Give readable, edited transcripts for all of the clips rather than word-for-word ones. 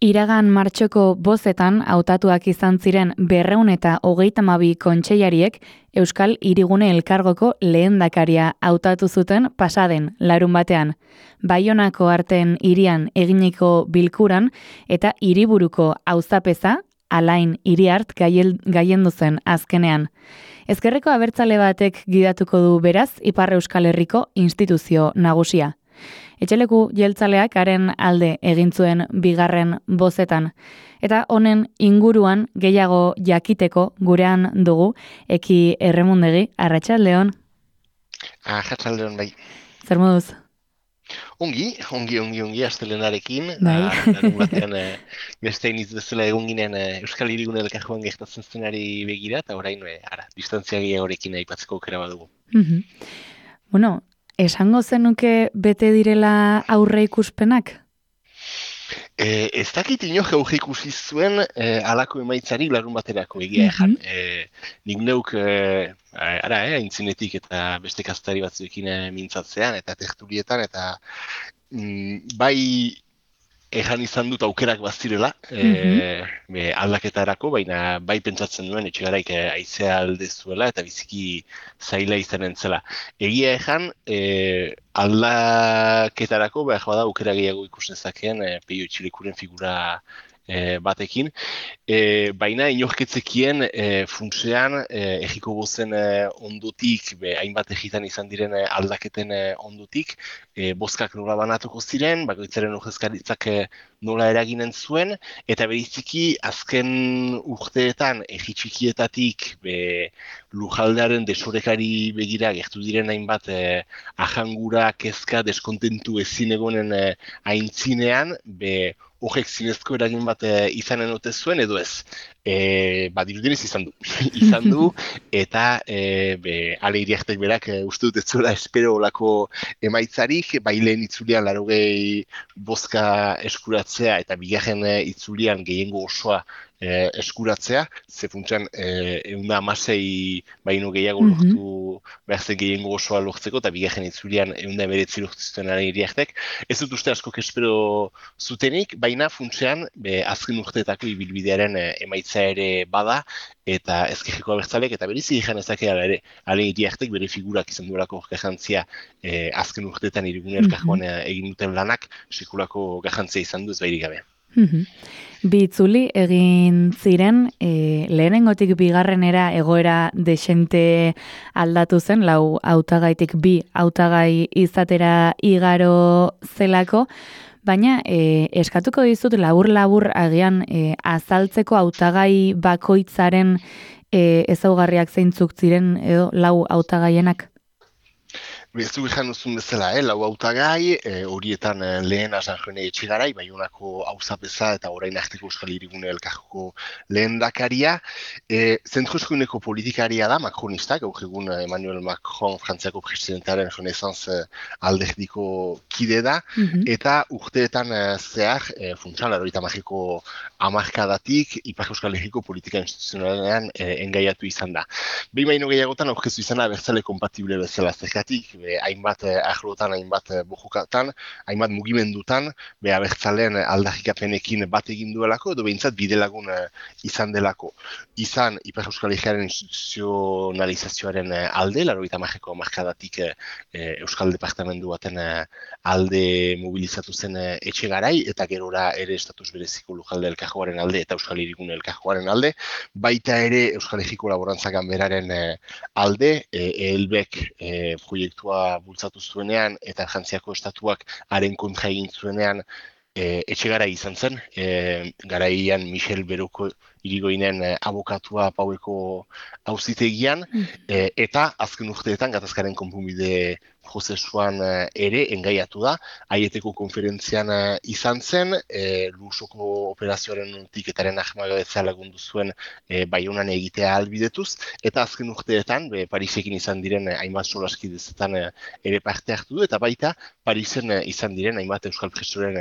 Iragan martxoko bozetan hautatuak izan ziren 232 kontseilariek Euskal Hirigune Elkargoko lehendakaria hautatu zuten pasaden larunbatean. Baionako Arteen hirian eginiko bilkuran eta hiriburuko auzapeza Alain Iriart gailendu zen azkenean. Ezkerreko abertzale batek gidatuko du beraz Ipar Euskal Herriko instituzio nagusia. Etxeleku jeltzaleak haren alde egin zuen bigarren bozetan. Eta honen inguruan gehiago jakiteko gurean dugu Eki Erremundegi. Arratsaldeon. Arratsaldeon bai. Zer moduz? Ongi, astelenarekin. Bai. Larun batean beste iniz bezala egon ginen Euskal Hirigune Elkargoan gertatzen zenari begira, eta orain distantzia gehiagorekin aipatzeko aukera badugu. Bueno, esango zenuke bete direla aurre ikuspenak? Ez dakit inok aurre ikusi zuen halako emaitzari larun baterako egia ejan. Nik neuk aintzinetik eta beste kazetari batzuekin mintzatzean eta tertulietan eta bai ejan izan dut aukerak bazirela aldaketarako, baina bai pentsatzen duen Etxegaraik haizea alde zuela eta biziki zaila izanen zela. Egia ejan, aldaketarako behar bada aukera gehiago ikus dezakeen Peio Etxilekuren figura batekin, baina inorketzekien funtsean egiko bozen ondotik, hainbat egitan izan diren aldaketen ondotik, bozkak nola banatuko ziren, bakoitzaren ordezkaritzak nola eraginen zuen, eta bereziki azken urteetan egi txikietatik lujaldearen desorekari begira gertu diren hainbat ahangura, kezka, deskontentu ezin egonen aintzinean, horrek zinezko eragin bat izanen ote zuen, edo ez. Dirudinez izan du. Izan du, eta Ale Iriartek berak uste dut ez zuela espero olako emaitzarik, bai lehen itzulian 80 bozka eskuratzea, eta bigarren itzulian gehiengo osoa eskuratzea, ze funtsan 116 baino gehiago lortu behar zen gehiengo osoa lortzeko, eta bigarren itzulian 119 lortu zuten Ale Iriartek. Ez dut uste askok espero zutenik, baina funtsean azken urteetako ibilbidearen emaitza ere bada, eta ezkerreko abertzalek, eta berizi izan ezakea ere, Ale Iriartek bere figurak izan duelako garrantzia azken urteetan Hirigune Elkargoan egin duten lanak sekulako garrantzia izan du ez bairik gabe. Bi itzuli egin ziren, lehenengotik bigarrenera egoera desente aldatu zen, 4 hautagaitik 2 hautagai izatera igaro zelako, baina eskatuko dizut labur agian azaltzeko hautagai bakoitzaren ezaugarriak zeintzuk ziren edo 4 hautagaienak. Bezu izan duzun bezala, 4 hautagai, horietan lehena San Jone Etxegarai, Baionako auzapeza eta orain arteko Euskal Hirigune Elkargoko lehendakaria. Zentro-eskuineko politikaria da, makronista, gaur egun Emmanuel Macron Frantziako presidentearen Renaissance alderdiko kide da, eta urteetan zehar, funtsan, 80ko hamarkadatik, Ipar Euskal Herriko politika instituzionalean engaiatu izan da. Behin baino gehiagotan aurkeztu izan da abertzale kompatible bezala zergatik, hainbat arlotan, hainbat bojukatan, hainbat mugimendutan, abertzaleen aldarrikapenekin bat egin duelako, edo behintzat bidelagun izan delako. Izan Ipar Euskal Herriaren instituzionalizazioaren alde, 80ko hamarkadatik Euskal Departamendu baten alde mobilizatu zen Etxegarai, eta gerora ere estatus bereziko Lujalde Elkargoaren alde eta Euskal Hirigune Elkargoaren alde, baita ere Euskal Herriko Laborantza Ganberaren alde, ELBek proiektua bultzatu zuenean eta Frantziako estatuak haren kontra egin zuenean Etxegarai izan zen, garaian Michel Beroko Irigoinen abokatua Paueko auzitegian, eta azken urteetan gatazkaren konponbide prozesuan ere engaiatu da, Aieteko konferentzian izan zen, Lusoko operazioaren notiketaren ahmagabetzea lagundu zuen Baionan egitea ahalbidetuz, eta azken urteetan, Parisekin izan diren hainbat solaskidezetan ere parte hartu du, eta baita Parisen izan diren hainbat Euskal Presoren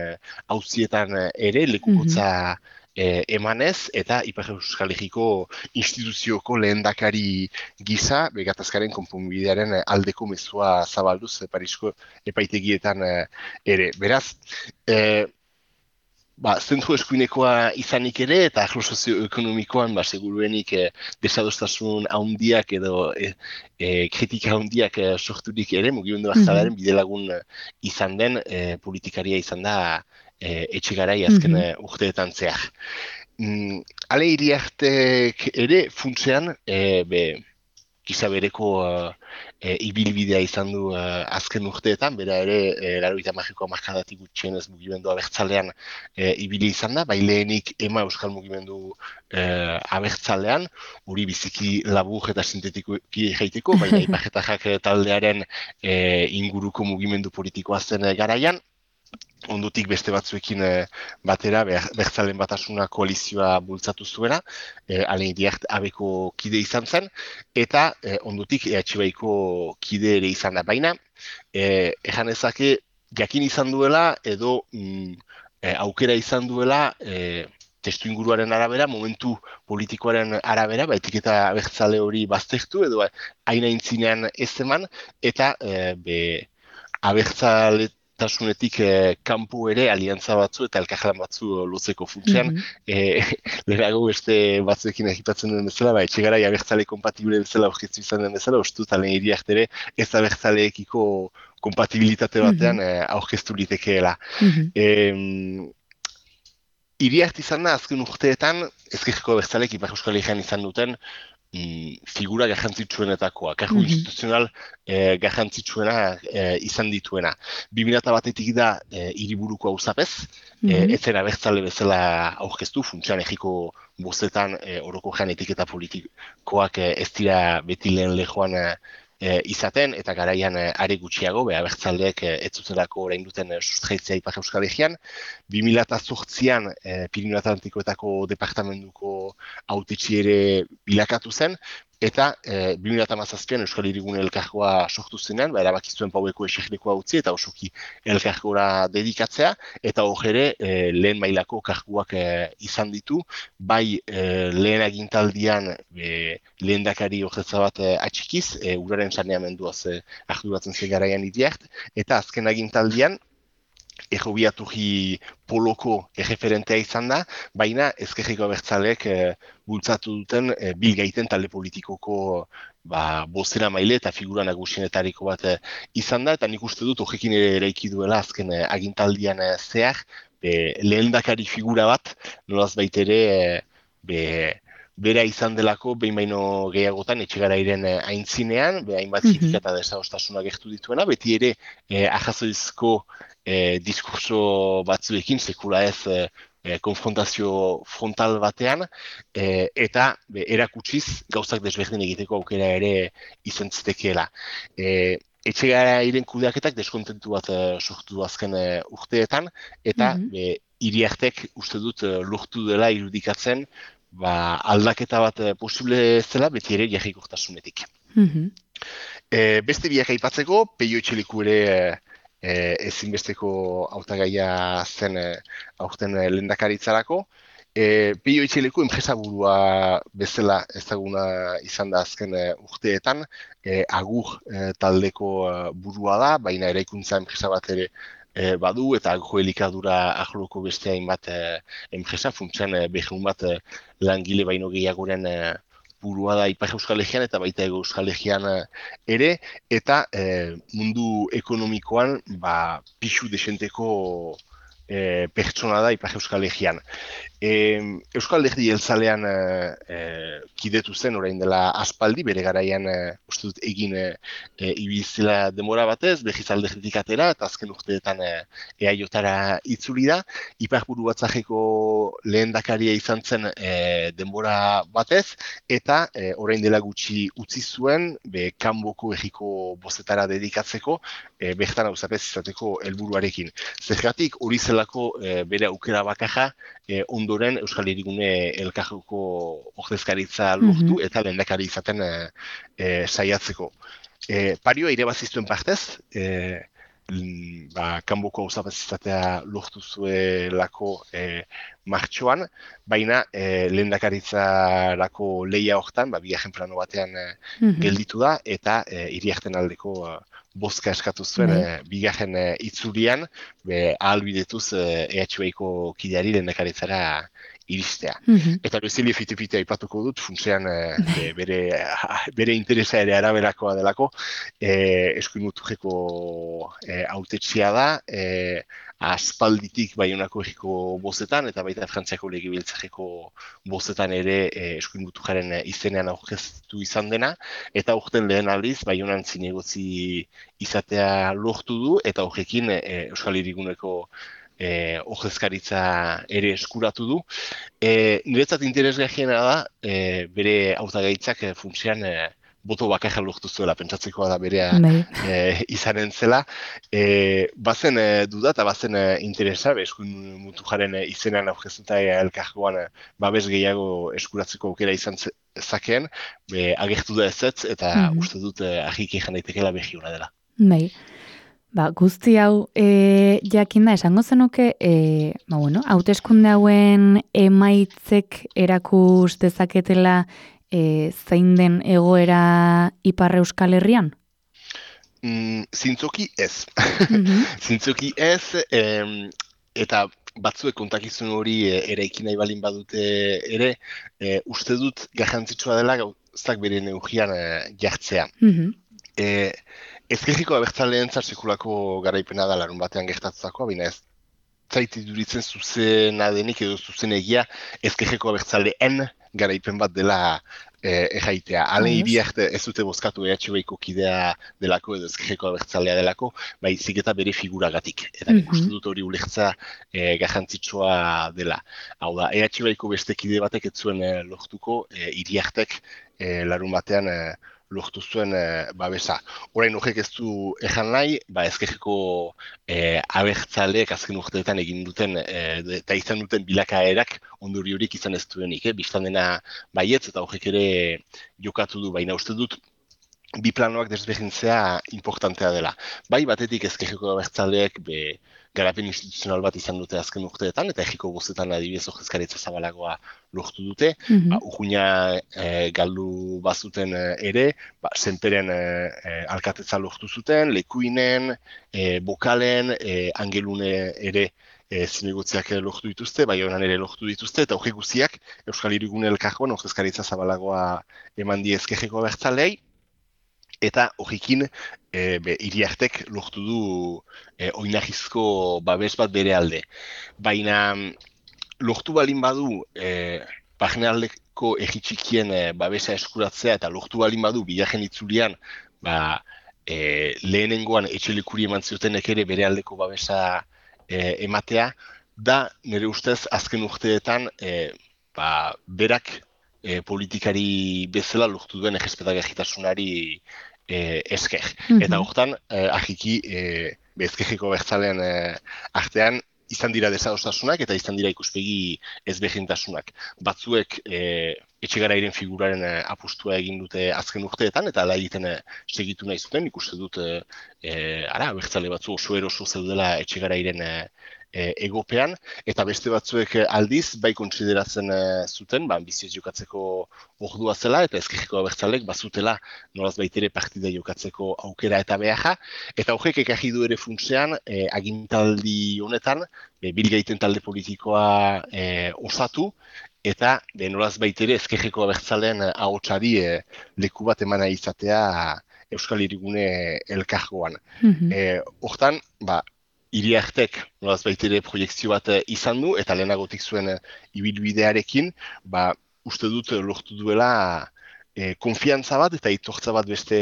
auzietan ere lekukotza emanez, eta Ipar Euskal Herriko instituzioko lehendakari gisa, gatazkaren konponbidearen aldeko mezua zabalduz Parisko epaitegietan ere. Beraz, zentru eskuinekoa izanik ere, eta arlo sozioekonomikoan, seguruenik desadostasun handiak edo kritika handiak sorturik ere, mugimendu abertzalearen bidelagun izan den politikaria izan da Etxegarai azken urteetan zehar. Ale Iriartek ere funtsean, giza bereko ibilbidea izan du azken urteetan, bera ere, 90ko hamarkadatik gutxienez mugimendu abertzalean ibili izan da, bai lehenik ema euskal mugimendu abertzalean, hori biziki labur eta sintetikoki jaiteko, baina ipajetajak taldearen inguruko mugimendu politikoa zen garaian, ondotik beste batzuekin batera Bertzalen Batasuna koalizioa bultzatu zuena, Alain Iriart abeko kide izan zen, eta ondotik EH-baiko kide ere izan da. Baina, ejan ezake jakin izan duela edo aukera izan duela testu inguruaren arabera, momentu politikoaren arabera, etiketa abertzale hori baztertu edo haina intzinean ez eman, eta abertzaletasunetik kanpo ere aliantza batzu eta elkarlan batzu luzeko funtsean. Lehenago beste batzuekin egipatzen den bezala, Etxegarai abertzale kompatibile bezala aurkeztu izan den bezala, uste dut Alain Iriart ere ez abertzaleekiko kompatibilitate batean aurkeztu litekeela. Iriart izan da, azken urteetan, ezkerreko abertzalek Ipar Euskal Herrian izan duten figura garrantzitsuenetakoa, kargu instituzional garrantzitsuena izan dituena. 2001-etik da hiriburuko auzapez, ez zen abertzale bezala aurkeztu, funtsean egiko bostetan orokorrean etiketa politikoak ez dira beti lehen lehoan izaten, eta garaian are gutxiago, abertzaleek ez zutelako orain duten sustraitzea Ipar Euskal Herrian. 2008an Pirinio Atlantikoetako departamentuko hautetsi ere bilakatu zen, eta 2017an Euskal Hirigune elkargoa sortu zenean, erabaki zuen paueko eserlekoa utzi eta osoki elkargora dedikatzea, eta hor ere lehen mailako karguak izan ditu, bai lehen agintaldian lehendakari ordetza bat atxikiz, uraren saneamenduaz arduratzen zen garaian Iriart, eta azken agintaldian Errobiaturri poloko erreferentea izan da, baina ezkerreko abertzaleek bultzatu duten bilgaiten talde politikoko bozera maile eta figura nagusienetariko bat izan da, eta nik uste dut horrekin ere eraiki duela azken agintaldian zehar, lehendakari figura bat, nolaz baitere bera izan delako, behin baino gehiagotan, Etxegarairen aintzinean, hainbat kritika eta desadostasuna gertu dituena, beti ere ajazoizko diskurso batzuekin, sekula ez konfrontazio frontal batean, eta erakutsiz gauzak desberdin egiteko aukera ere izan zitekeela. Etxegarairen kudeaketak deskontentu bat sortu azken urteetan, eta Iriartek uste dut lortu dela irudikatzen aldaketa bat posible zela, beti ere jarrikortasunetik. Beste biak aipatzeko, Peio Etxeleku ere ezinbesteko hautagaia zen aurten lehendakaritzarako. Peio Etxeleku enpresaburua bezala ezaguna izan da azken urteetan, Agur taldeko burua da, baina eraikuntza enpresa bat ere badu, eta agroelikadura ahloko beste hainbat enpresa, funtsean behun bat langile baino gehiagoren burua da Ipar Euskal Herrian eta baita Hego Euskal Herrian ere, eta mundu ekonomikoan pixu desenteko pertsona da Ipar Euskal Herrian. Euskal Alderdi Jeltzalean kidetu zen orain dela aspaldi, bere garaian uste dut egin ibilizela demora batez, behiz alderditik atera, eta azken urteetan EAJ-tara itzuli da. Iparburu Batzarreko lehendakaria izan zen denbora batez, eta orain dela gutxi utzi zuen, kanboko herriko bozetara dedikatzeko, bertan auzapez izateko helburuarekin. Zergatik hori zelako bere aukera bakarra ondoren Euskal Hirigune elkargoko ordezkaritza lortu eta lehendakari izaten saiatzeko. Parioa irebaziztuen partez, kanboko auzapez izatea lortu zuelako martxoan, baina lehendakaritzarako lehia hortan, bigarren plano batean gelditu da, eta Iriarten aldeko bozka eskatu zuen bigarren itzulian, ahalbidetuz EHBko kideari lehendakaritzara iristea. Eta bezili fite-fite aipatuko dut, funtsean bere interesa ere araberakoa delako, eskuin muturreko hautetxea da, aspalditik Baionako herriko bozetan, eta baita Frantziako legebiltzarreko bozetan ere eskuin muturraren izenean aurkeztu izan dena, eta urten lehen aldiz Baionan zinegotzi izatea lortu du, eta horrekin Euskal Hiriguneko ordezkaritza ere eskuratu du. Niretzat interesgarriena da, bere hautagaitzak funtsean boto bakarra lortu zuela, pentsatzekoa da berea izanen zela. Bazen duda eta bazen interesa, eskuin muturraren izenean aurkeztuta elkargoan babes gehiago eskuratzeko aukera izan zakeen, agertu da ezetz, eta uste dut argiki jan daitekela behi hona dela. Bai. Guzti hau jakinda esango zenuke, hauteskunde hauen emaitzek erakus dezaketela zein den egoera Ipar Euskal Herrian? Zintzoki ez. Zintzoki ez, eta batzuek kontakizun hori eraiki nahi balin badute ere, uste dut garrantzitsua dela gauzak bere neugian jartzea. Ezkerriko abertzaleen sekulako garaipena da larun batean gertatutakoa, baina ez zaiti duritzen zuzena denik edo zuzenegia ezkerreko abertzaleen garaipen bat dela erraitea. Halen Iriarte ez dute bozkatu EHBko kidea delako edo ezkerreko abertzalea delako, baizik eta bere figuragatik. Eta uste dut hori ulertza garrantzitsua dela. Hau da, EHBko beste kide batek ez zuen lortuko, Iriartek larun batean lortu zuen babesa. Orain horrek ez du ejan nahi, ezkerreko abertzaleek azken urteetan egin duten eta izan duten bilakaerak ondoriorik izan ez duenik. Bistan dena baietz eta horrek ere jokatu du, baina uste dut bi planoak desberdintzea importantea dela. Batetik ezkerreko abertzaleek garapen instituzional bat izan dute azken urteetan, eta herriko bozetan adibidez ordezkaritza zabalagoa lortu dute. Urruña galdu bazuten ere, Senperen alkatetza lortu zuten, Lekuinen, Bokalen, Angelune ere zinegotziak lortu dituzte, Baionan ere lortu dituzte, eta horrek guztiak Euskal Hirigune elkargoan ordezkaritza zabalagoa eman die ezkerreko abertzaleei, eta horrekin Iriartek lortu du oinarrizko babes bat bere alde. Baina lortu balin badu barnealdeko herri txikien babesa eskuratzea eta lortu balin badu bigarren itzulian lehenengoan etxelikuri eman ziotenek ere bere aldeko babesa ematea, da nire ustez azken urteetan berak politikari bezala lortu duen errespetagarritasunari esker. Eta hortan, ahiki, ezkerreko abertzalean artean, izan dira desadostasunak eta izan dira ikuspegi ezberdintasunak. Batzuek etxegarairen figuraren apustua egin dute azken urteetan, eta ala egiten segitu nahi zuten, ikuste dut abertzale batzu oso eroso zeudela etxegarairen egopean, eta beste batzuek aldiz, bai kontsideratzen zuten, biziez jokatzeko ordua zela, eta ezkerreko abertzalek bazutela nolaz baitere partida jokatzeko aukera eta beharra, eta horrek ekarri du ere funtsean, agintaldi honetan, bilgaiten talde politikoa osatu, eta nolaz baitere ezkerreko abertzaleen ahotsari leku bat emana izatea Euskal Hirigune elkargoan. Hortan, Iriartek nolaz baitere proiektzio bat izan du, eta lehenagotik zuen ibilbidearekin, uste dut lortu duela konfiantza bat eta itortza bat beste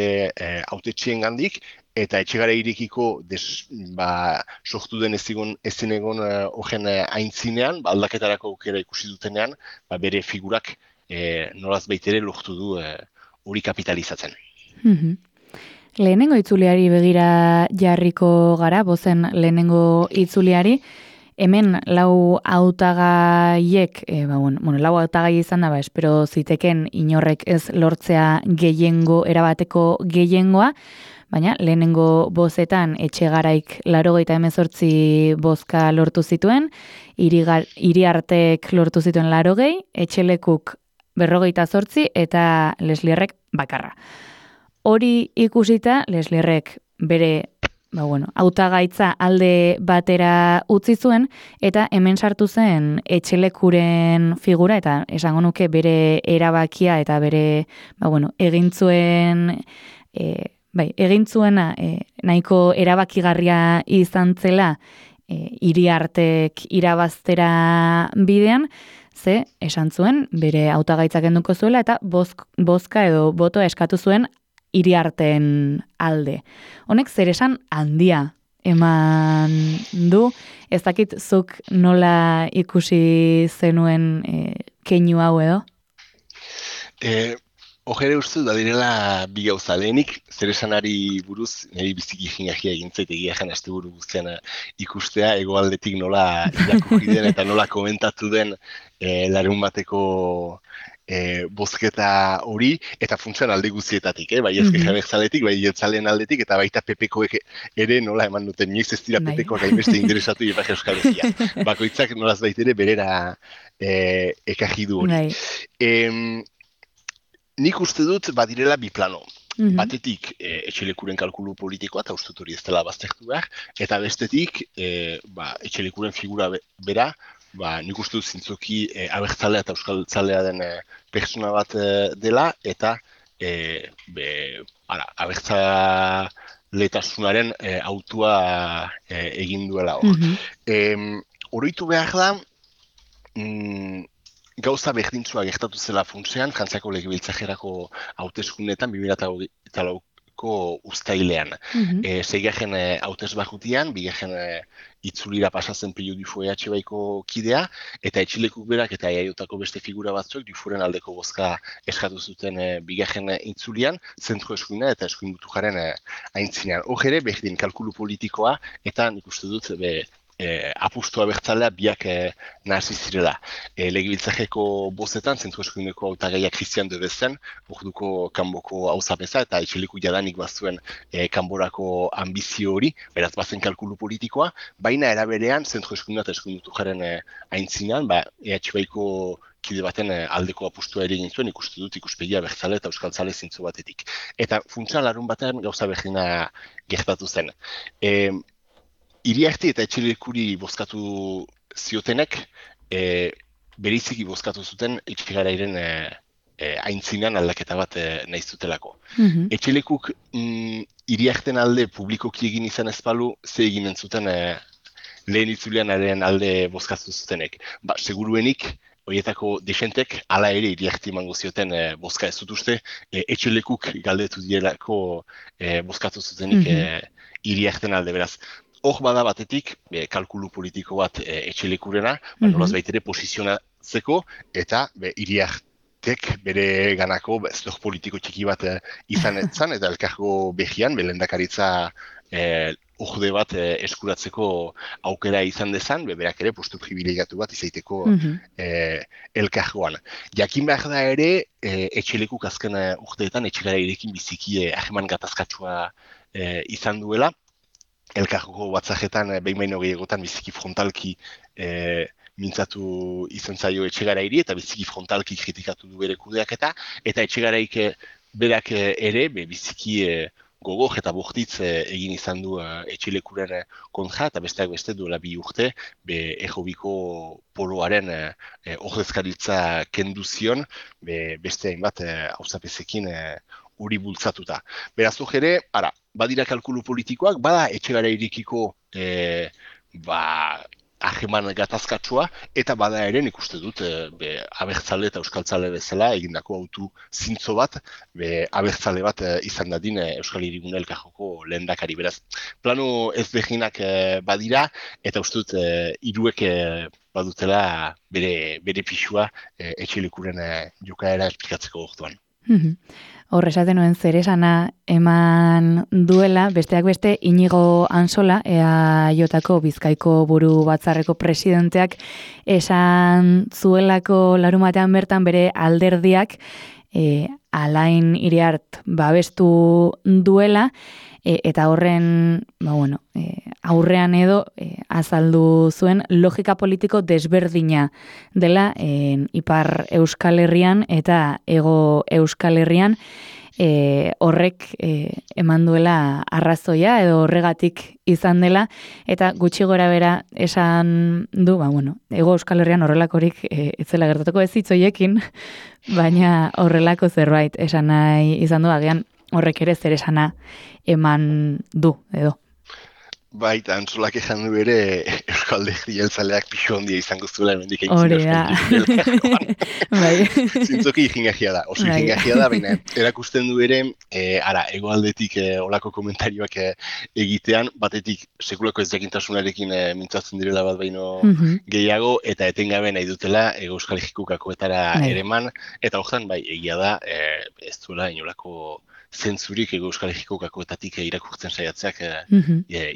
hautetxien gandik, eta etxegara irekiko sortu den ezin egon horren aintzinean, aldaketarako aukera ikusi dutenean, bere figurak nolaz baitere lortu du hori kapitalizatzen. Lehenengo itzuliari begira jarriko gara, bozen lehenengo itzuliari, hemen lau hautagaiek, lau hautagai izan da, espero ziteken inorrek ez lortzea erabateko gehiengoa, baina lehenengo bozetan Etxegaraik 88 bozka lortu zituen, Iriartek lortu zituen 80, Etxelekuk 58 eta Leslierrek bakarra. Hori ikusita, Leslierrek bere hautagaitza alde batera utzi zuen, eta hemen sartu zen etxelekuren figura, eta esango nuke bere erabakia eta bere, egin zuena nahiko erabakigarria izan zela Iriartek irabaztera bidean, ze esan zuen bere hautagaitza kenduko zuela eta bozka edo botoa eskatu zuen Iriarten alde. Honek zer esan handia eman du, ez dakit zuk nola ikusi zenuen keinu hau edo? Hogere uste da direla bi gauza lehenik, zer esanari buruz, niri biziki jingakia egintzait egia jan asteburu guztian ikustea, hegoaldetik nola irakurri den eta nola komentatu den larun bateko bozketa hori, eta funtzean alde guztietatik, bai ezker abertzaletik, bai jeltzaleen aldetik, eta baita PPkoek ere nola eman duten, nioiz ez dira PPkoak hainbeste interesatu Ipar Euskal Herria. Bakoitzak nolaz baitere berera ekarri du hori. Nik uste dut badirela bi plano. Batetik etxelekuren kalkulu politikoa, eta uste hori ez dela baztertu behar, eta bestetik etxelekuren figura bera, nik uste dut zintzoki abertzalea eta euskaltzalea den pertsona bat dela, eta abertzaletasunaren autua egin duela hor. Oroitu behar da, gauza berdintzua gertatu zela funtsean, Frantziako legebiltzarrerako hauteskundeetan 2008ko uztailean. Seigarren hautesbarrutian, bigarren itzulira pasatzen Pello Dufour EH-baiko kidea, eta etxilekuk berak eta EAJko beste figura batzuk Dufourren aldeko bozka eskatu zuten bigarren itzulian, zentro eskuina eta eskuin Gutujaren aintzinean. Hor ere, berdin kalkulu politikoa, eta nik uste dut apustua bertzalea biak nahasi zirela. Legebiltzarreko bozetan, zentro eskuineko hautagaia Christian de Bezen, orduko kanboko auzapeza eta etxeleku jadanik bazuen kanborako ambizio hori, beraz bazen kalkulu politikoa, baina eraberean zentro eskuina eta eskuin Gutujaren aintzinean, EH-baiko kide baten aldeko apustua ere egin zuen, ikuste dut ikuspegia bertzale eta euskaltzale zintzo batetik. Eta funtsan larun batean gauza berdina gertatu zen. Iriarte eta etxelekuri bozkatu ziotenek, beriziki bozkatu zuten etxegarairen aintzinean aldaketa bat nahi zutelako. Etxelekuk Iriarten alde publikoki egin izan ezpalu, ze eginen zuten lehen itzulianaren alde bozkatu zutenek. Seguruenik, horietako desentek, hala ere Iriarte emango zioten bozka ez dut uste, etxelekuk galdetu dielako bozkatu zutenik Iriarten alde, beraz. Hor bada batetik, kalkulu politiko bat etxelekurena, nolaz baitere posizionatzeko, eta Iriartek bere ganako zdor politiko txiki bat izan etzan, eta elkargo behian, lehendakaritza orde bat eskuratzeko aukera izan dezan, berak ere postu privilegiatu bat izaiteko elkargoan. Jakin behar da ere, etxelekuk azken urteetan etxegarairekin biziki ahreman gatazkatsua izan duela, elkargoko batzajetan behin gehiagotan biziki frontalki mintzatu izan zaio etxegarairi eta biziki frontalki kritikatu du bere kudeaketa, eta etxegaraik berak ere biziki gogor eta bortitz egin izan du etxelekuren kontra, eta besteak beste duela 2 urte errobiko poloaren ordezkaritza kendu zion, beste hainbat auzapezekin hori bultzatuta. Beraz hor ere, badira kalkulu politikoak, bada etxegarairekiko ahreman gatazkatsua, eta bada ere nik uste dut abertzale eta euskaltzale bezala egindako autu zintzo bat, abertzale bat izan dadin Euskal Hirigune elkargoko lehendakari. Beraz, plano ezberdinak badira, eta uste dut hiruek badutela bere pixua etxelekuren jokaera esplikatzeko orduan. Hor esaten nuen zer esana eman duela, besteak beste Inigo Ansola, EAJko Bizkaiko buru batzarreko presidenteak esan zuelako larumatean bertan bere alderdiak Alain Iriart babestu duela, eta horren aurrean edo azaldu zuen logika politiko desberdina dela Ipar Euskal Herrian eta Hego Euskal Herrian, horrek eman duela arrazoia edo horregatik izan dela, eta gutxi gora bera esan du, Hego Euskal Herrian horrelakorik ez zela gertatuko ez hitzoiekin, baina horrelako zerbait esan nahi izan du, agian horrek ere zer esana eman du, edo. Baita, Antsolak ejan du ere Euskal Alderdi Jeltzaleak pixo handia izango zuela hemendik Hori da. Bai. Zintzoki ikingagia da, oso ikingagia da, baina erakusten du ere, hegoaldetik olako komentarioak egitean, batetik sekulako ezjakintasunarekin mintzatzen direla bat baino gehiago, eta etengabe nahi dutela Euskal Herriko kakoetara ereman, eta horretan, egia da, ez duela inolako zentzurik Euskal Herriko kakoetatik irakurtzen saiatzeak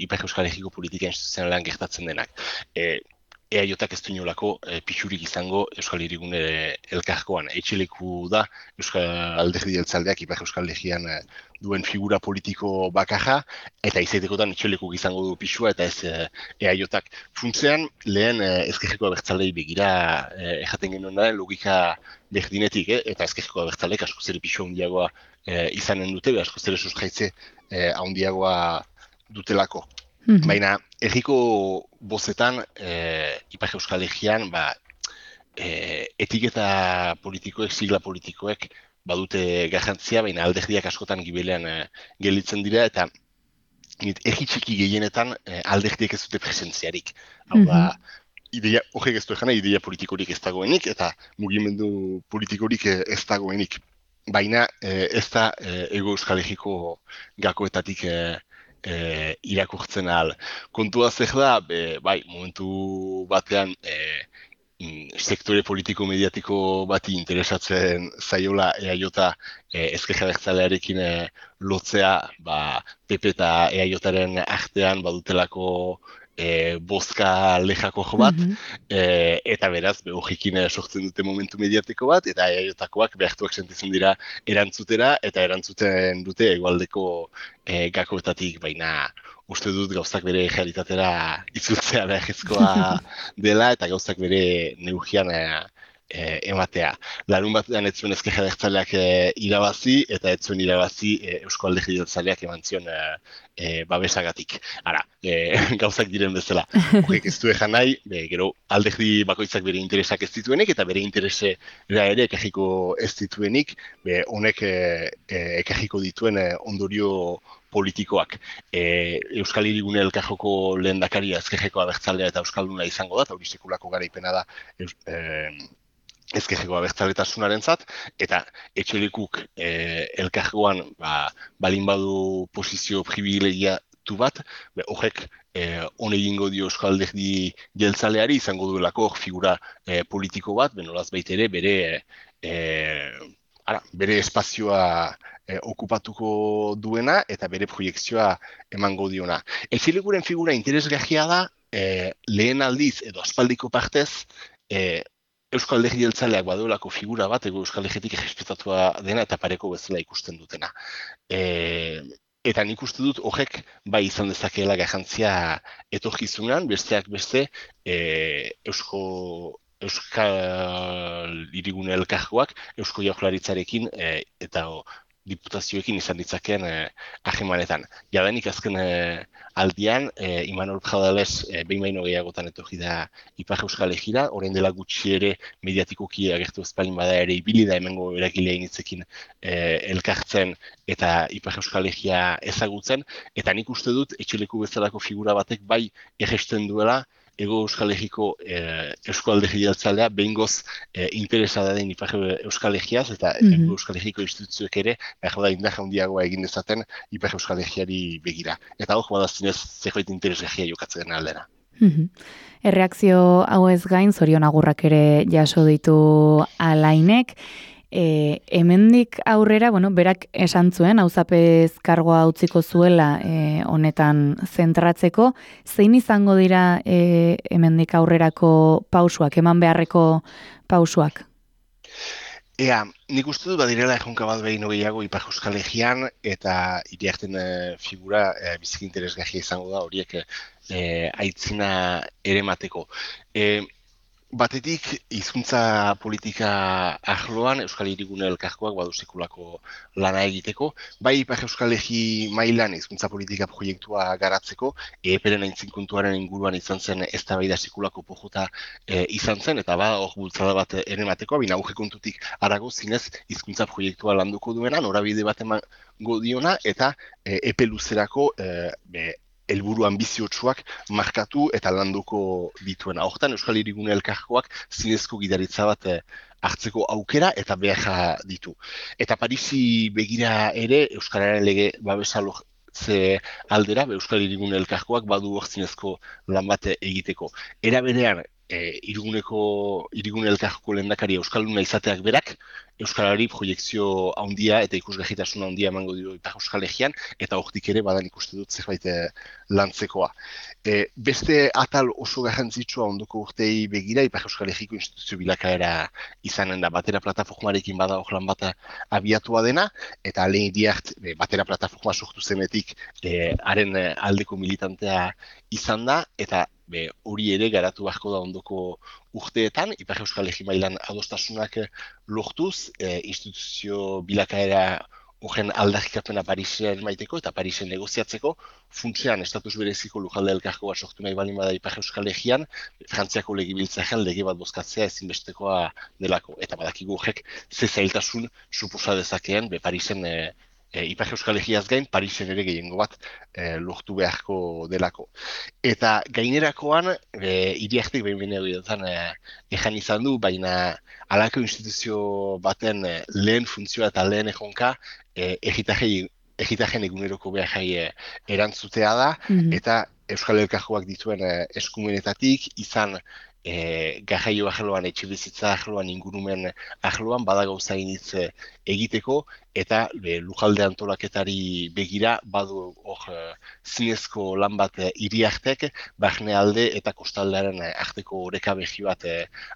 Ipar Euskal Herriko politika instituzionalean gertatzen denak. EAJak ez du inolako pixurik izango Euskal Hirigune elkargoan. Etxeleku da Euskal Alderdi Jeltzaleak Ipar Euskal Herrian duen figura politiko bakarra, eta izaitekotan etxelekuk izango du pixua, eta ez EAJak. Funtzean, lehen ezkerreko abertzalei begira erraten genuen da, logika berdinetik, eta ezkerreko abertzaleek askoz ere pixua handiagoa izanen dute, askoz ere sustraitze handiagoa dutelako. Baina, herriko bozetan, Ipar Euskal Herrian, etiketa politikoek, sigla politikoek, badute garrantzia, baina alderdiak askotan gibelean gelditzen dira, eta herri txiki gehienetan alderdiek ez dute presentziarik. Hau da, horrek ez du egana, ideia politikorik ez dagoenik, eta mugimendu politikorik ez dagoenik. Baina ez da Hego Euskal Herriko gakoetatik irakurtzen ahal. Kontua zer da, momentu batean sektore politiko-mediatiko bati interesatzen zaiola EAJ ezker abertzalearekin lotzea, PP eta EAJaren artean badutelako bozka lejako bat, eta beraz, horrekin sortzen dute momentu mediatiko bat, eta EAJakoak behartuak sentitzen dira erantzutera, eta erantzuten dute hegoaldeko gakoetatik, baina uste dut gauzak bere realitatera itzultzea beharrezkoa dela, eta gauzak bere neurrian ematea. Larun batean ez zuen ezker abertzaleak irabazi, eta ez zuen irabazi Eusko Alderdi Jeltzaleak eman zion babesagatik. Gauzak diren bezala. Horrek ez du ejan nahi, gero alderdi bakoitzak bere interesak ez dituenik, eta bere interesera ere ekarriko ez dituenik, honek ekarriko dituen ondorio politikoak. Euskal Hirigune elkarjoko lehendakaria ezkerreko abertzalea eta euskalduna izango da, eta hori sekulako garaipena da ezkerreko abertzaletasunaren eta etxelekuk elkargoan balin badu posizio privilegiatu bat, horrek hone egingo dio Euskal Alderdi Jeltzaleari izango duelako figura politiko bat, benolaz baitere bere espazioa okupatuko duena eta bere proiektzioa emango diona. Etxelekuren figura interesgarria da, lehen aldiz edo aspaldiko partez, Euskal Alderdi Jeltzaleak baduelako figura bat, Euskal Herritik errespetatua dena eta pareko bezala ikusten dutena. Eta nik uste dut horrek bai izan dezakeela garrantzia etorkizunean, besteak beste Euskal Hirigune elkargoak Eusko Jaurlaritzarekin eta diputazioekin izan ditzakeen ahemanetan. Jadanik azken aldian, Imanol Pradales behin baino gehiagotan etorri da Ipar Euskal Herrira, orain dela gutxi ere mediatikoki agertu ezpalin bada ere ibili da hemengo eragileen hitzekin elkartzen eta Ipar Euskal Herria ezagutzen, eta nik uste dut etxeleku bezalako figura batek bai erresten duela Hego Euskal Herriko Eusko Alderdi Jeltzalea behingoz interesada den Ipar Euskal Herriaz eta Hego Euskal Herriko instituzioek ere da indar handiagoa egin dezaten Ipar Euskal Herriari begira. Eta hor, badazinez zerbait interesgarria jokatzen aldera. Erreakzio hau ez gain, zorion agurrak ere jaso ditu Alainek. Hemendik aurrera, berak esan zuen, auzapez kargoa utziko zuela honetan zentratzeko, zein izango dira hemendik aurrerako pausuak, eman beharreko pausuak? Nik uste dut badirela erronka bat behin gehiago Ipar Euskal Herrian eta Iriarten figura biziki interesgarria izango da horiek aitzina ere mateko. Batetik, hizkuntza politika arloan Euskal Hirigune Elkargoak badu sekulako lana egiteko, bai Ipar Euskal Herri mailan hizkuntza politika proiektua garatzeko, EPEren aintzinkontuaren inguruan izan zen eztabaida sekulako pojuta izan zen, eta hor bultzada bat ere emateko, bina auge kontutik harago zinez hizkuntza proiektua landuko duena, norabide bat emango diona, eta epe luzerako helburu anbiziotsuak markatu eta landuko dituena. Hortan Euskal Hirigune Elkargoak zinezko gidaritza bat hartzeko aukera eta behar ditu. Eta Parisi begira ere Euskararen lege babesa lortze aldera, Euskal Hirigune Elkargoak badu hor zinezko lan bat egiteko. Era berean, Hirigune Elkargoko lehendakari euskalduna izateak berak, euskarari proiekzio handia eta ikusgarritasun handia emango dio Ipar Euskal Herrian, eta hortik ere badan ikuste dut zerbait lantzekoa. Beste atal oso garrantzitsua ondoko urtei begira, Ipar Euskal Herriko instituzio bilakaera izanen da, batera plataformarekin bada hor lan bat abiatua dena, eta lehen iriart batera plataforma sortu zenetik haren aldeko militantea izan da, eta hori ere garatu beharko da ondoko urteetan, Ipar Euskal Herri mailan adostasunak lortuz, instituzio bilakaera horren aldarrikapena Parisen maiteko eta Parisen negoziatzeko, funtsean estatus bereziko lujalde elkargoa sortu nahi balin bada Ipar Euskal Herrian, Frantziako legebiltzarrean lege bat bozkatzea ezinbestekoa delako. Eta badakigu horrek ze zailtasun suposa dezakeen Parisen Ipar Euskal Herriaz gain, Parisen ere gehiengo bat lortu beharko delako. Eta gainerakoan, hiriartek behin ejan izan du, baina halako instituzio baten lehen funtzioa eta lehen erronka egitaren eguneroko behar erantzutea da, eta Euskal Elkargoak dituen eskumenetatik izan garraio arloan, etxe bizitza arloan, ingurumen arloan, bada gauza initz egiteko, eta lujalde antolaketari begira, badu hor zinezko lan bat hiriartek, barne alde eta kostaldearen arteko oreka behi bat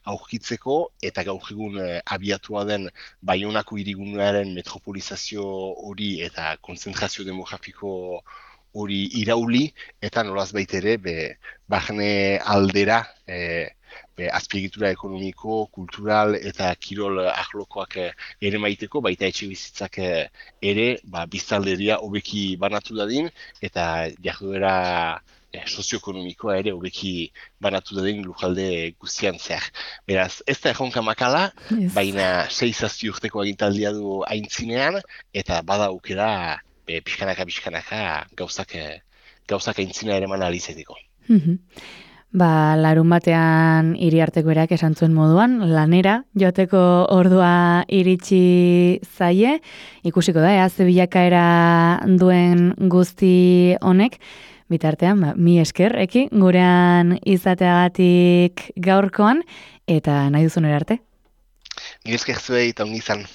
aurkitzeko, eta gaur egun abiatua den Baionako hirigunearen metropolizazio hori eta konzentrazio demografiko hori irauli, eta nolaz baitere, barne aldera, azpiegitura ekonomiko, kultural eta kirol arlokoak ere maiteko, baita etxe bizitzak ere biztanleria hobeki banatu dadin, eta jarduera sozioekonomikoa ere hobeki banatu dadin lujalde guztian zehar. Beraz, ez da erronka makala, baina 6-7 urteko agintaldia du aintzinean, eta bada aukera pixkanaka gauzak aintzina ere man alizeteko. Larun batean Iriarteko erak esan zuen moduan, lanera joateko ordua iritsi zaie, ikusiko da, ze bilakaera duen guzti honek, bitartean, mi esker, gurean izateagatik gaurkoan, eta nahi duzun erarte. Ni esker zuei eta ongi izan.